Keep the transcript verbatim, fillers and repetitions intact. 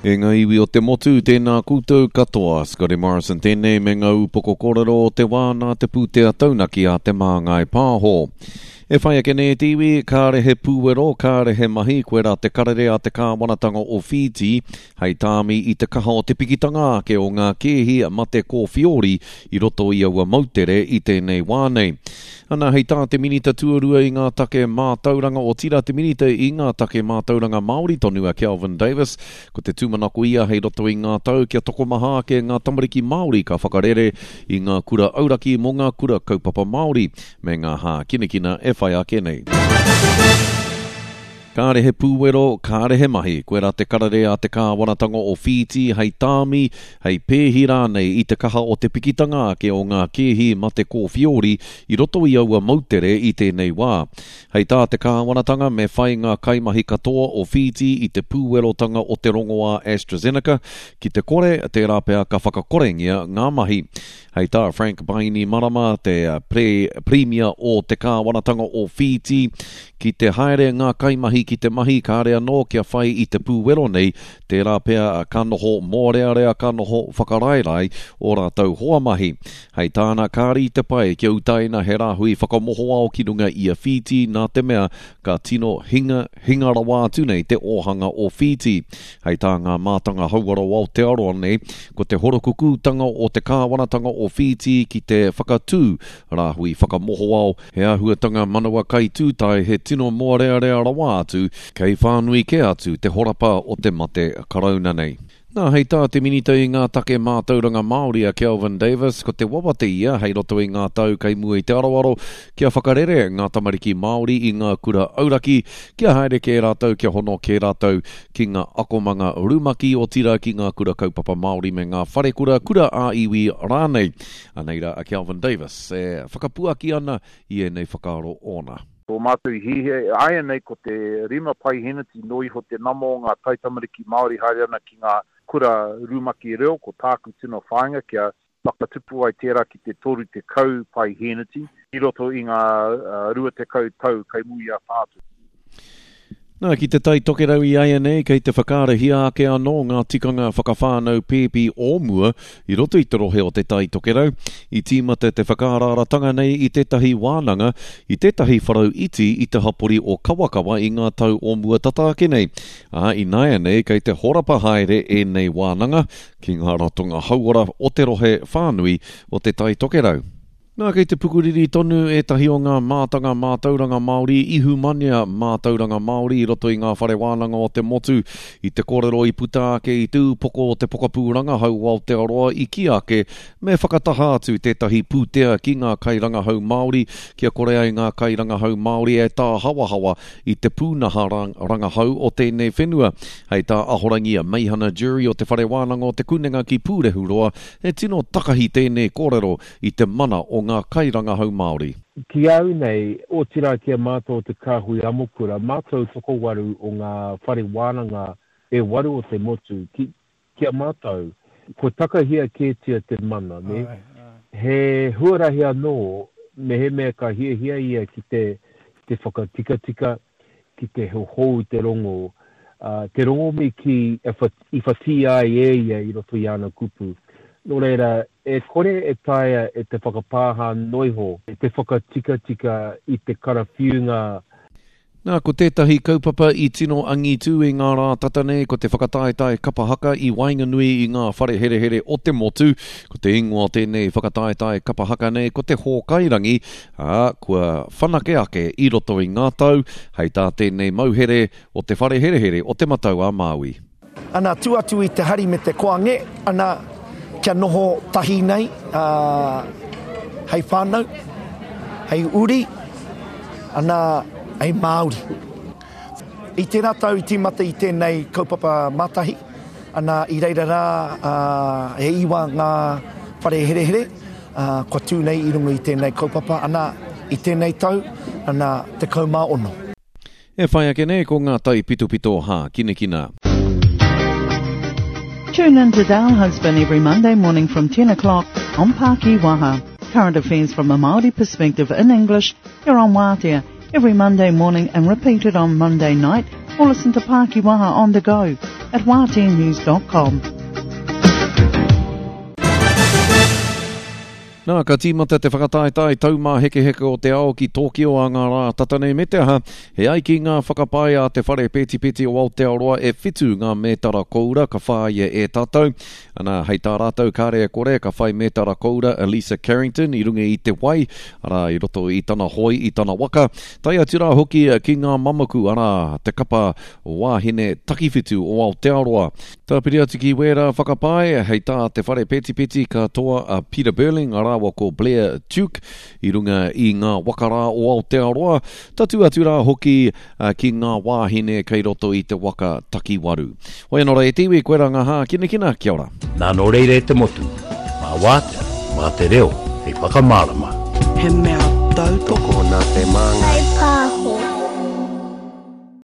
E ngā iwi o te motu, tēnā koutou katoa. Scotty Morrison tēnei me ngā upoko kōrero o te wā nā te pūtea taunaki a Te Māngai Pāho. E whai ake nei te iwi, kāre he pūwero, kāre he mahi, koe rā te karere a te kāwanatanga o Whītī, hei tāmi i te kaha o te pikitanga ake o ngā kēhi mate kōwhiori i roto i aua moutere i tēnei wā nei. Ana hei tā te minita tuarua i ngā take mātauranga o tira te minita i ngā take mātauranga Māori tonu a Kelvin Davis, ko te tūmanako ia hei roto i ngā tau kia tokomaha ake ngā tamariki Māori ka whakarere i ngā kura auraki mō ngā kura kaupapa Māori me ngā hākinakina e whai ake nei. Kāre he pūwero, kāre he mahi, koe rā te karere a te kāwanatanga o Whītī hei tāmi, hei pēhi rānei i te kaha o te pikitanga ake o ngā kēhi mate kōwhiori i roto i aua moutere i tēnei wā. Hei tā te kāwanatanga me whai ngā kaimahi katoa o Whītī i te pūwerotanga o te rongoā AstraZeneca, ki te kore, tērā pea ka whakakorengia ngā mahi. Hei tā Frank Bainimarama, te pre, premia o te kāwanatanga o Whītī, ki te haere ngā kaimahi ki te mahi kāre anō kia whai i te pūwero nei, tērā pea ka noho mōrearea ka noho whakaraerae o rātou hoa mahi. Hei tāna kāri te pai kia utaina he rāhui whakamohoao ki runga i a Whītī nā te mea ka tino hinga, hinga rawa atu nei te ōhanga o Whītī. Hei tā ngā mātanga hauora o Aotearoa nei, ko te horokukūtanga o te kāwanatanga o Whītī ki te whakatū rāhui whakamohoao, he āhuatanga manawa kai tūtai he tino mōrearea rawa atu, kei whānui ke atu te horapa o te mate karauna nei. Nā, hei tā te minita i ngā take mātauranga Māori a Kelvin Davis, ko te wawate ia hei roto i ngā tau kei mua i te aroaro kia whakarere ngā tamariki Māori i ngā kura auraki, kia haere kē rātou, kia hono kē rātou ki ngā akomanga rumaki o tira ki ngā kura kaupapa Māori me ngā wharekura kura ā-iwi rānei. Anei rā a Kelvin Davis e whakapuaki ana i ēnei whakaaro ōna. Tō mātou i hiahia, āianei ko te rima paiheneti no iho te nama o ngā taitamariki Māori haere ana ki ngā kura rumaki reo, ko tāku tino whāinga kia whakatupu ai tērā ki te toru tekau paiheneti i roto i ngā uh, rua tekau tau kei muri a tātou. Nā, ki te Tai Tokerau i āianei, kei te whakaarahia ake anō ngā tikanga whakawhānau pēpi o mua i roto i te rohe o te Tai Tokerau. I tīmata te whakaaraaratanga nei i tētahi wānanga, i tētahi wharau iti i te hapori o Kawakawa i ngā tau o mua tata ake nei. Ā, ināianei kei te horapa haere ēnei wānanga ki ngā ratonga hauora o te rohe whānui o te Tai Tokerau. Nā, kei te pukuriri tonu ētahi o ngā mātanga mātauranga Māori, ihumanea mātauranga Māori i roto i ngā whare wānanga o te motu. I te kōrero i puta ake i te upoko o te pokapū rangahau o Aotearoa i kī ake me whakataha atu tētahi pūtea ki ngā kairangahau Māori, kia kore ai ngā kairangahau Māori e tāhawahawa i te pūnaha rangahau o tēnei whenua. Hei tā Ahorangi a Meihana Jury o te whare wānanga o te Kunenga ki Pūrehuroa, he tino takahi tēnei kōrero i te mana o ngā kairangahau Māori. Ki au nei, o tira ki a mātou o te kāhui amokura, mātou tokowaru o ngā whare wānanga e waru o te motu, ki, ki a mātou, ko takahia kētia te mana, ne? Ai, ai. He huarahi anō, mehemea ka hiahia ia ki te, te whakatikatika, ki te hohou te rongo, uh, te rongo me ki i whati ai e ia i roto i ana kupu. Nō reira, e kore e taea e te whakapāha noiho, e te whakatikatika i te karawhiunga. Nā, ko tētahi kaupapa i tino angitū i ngā rā tata nei, ko te whakataetae kapa haka i waenganui i ngā whare herehere o te motu. Ko te ingoa o tēnei whakataetae kapa haka nei, ko te Hōkairangi, ā, kua whanake ake i roto i ngā tau, hei tā tēnei mauhere o te whare herehere o Te Matau a Māui. Ana, tu atu i te hari me te koange, ana, kia noho tahi nei, uh, hei whānau, hei uri, ana, hei Māori. I tērā tau i tīmata i tēnei kaupapa mātahi, ana i reira rā uh, e iwa ngā whare herehere, uh, kua tū nei i runga i tēnei kaupapa, ana i tēnei tau, ana tekau mā ono. E whai ake nei ko ngā tai pitopito hākinakina. Tune in to Dale Husband every Monday morning from ten o'clock on Pākī Waha. Current affairs from a Māori perspective in English here on Waatea every Monday morning and repeated on Monday night, or listen to Pākī Waha on the go at waatea news dot com. Nā, ka tīmata te whakataetae taumāhekeheke o te ao ki Tōkio a ngā rā tata nei me te aha, he ai ki ngā whakapae a te whare pētipeti o Aotearoa e whitu ngā mētara koura ka whāia e tātou. Ana, hei tā rātou kāre e kore ka whai mētara koura Elisa Carrington i runga i te wai, arā i roto i tana hoi, i tana waka. Tae atu rā hoki ki ngā mamaku, arā, te kapa wāhine takiwhitu o Aotearoa. Tāpiri atu ki wērā whakapae, hei tā te whare pētipeti ka toa a Peter Burling, arā ko Blair Tuke i runga i ngā wakarā o Aotearoa, tatu atu rā hoki uh, ki ngā wāhine kei roto i te waka takiwaru. Hoi anō rā e te iwi, koe rā ngā hākinakina, kia ora. Nā nō reira e te motu, mā wātea, mā te reo, hei whakamārama. He mea tautoko nā te māngai.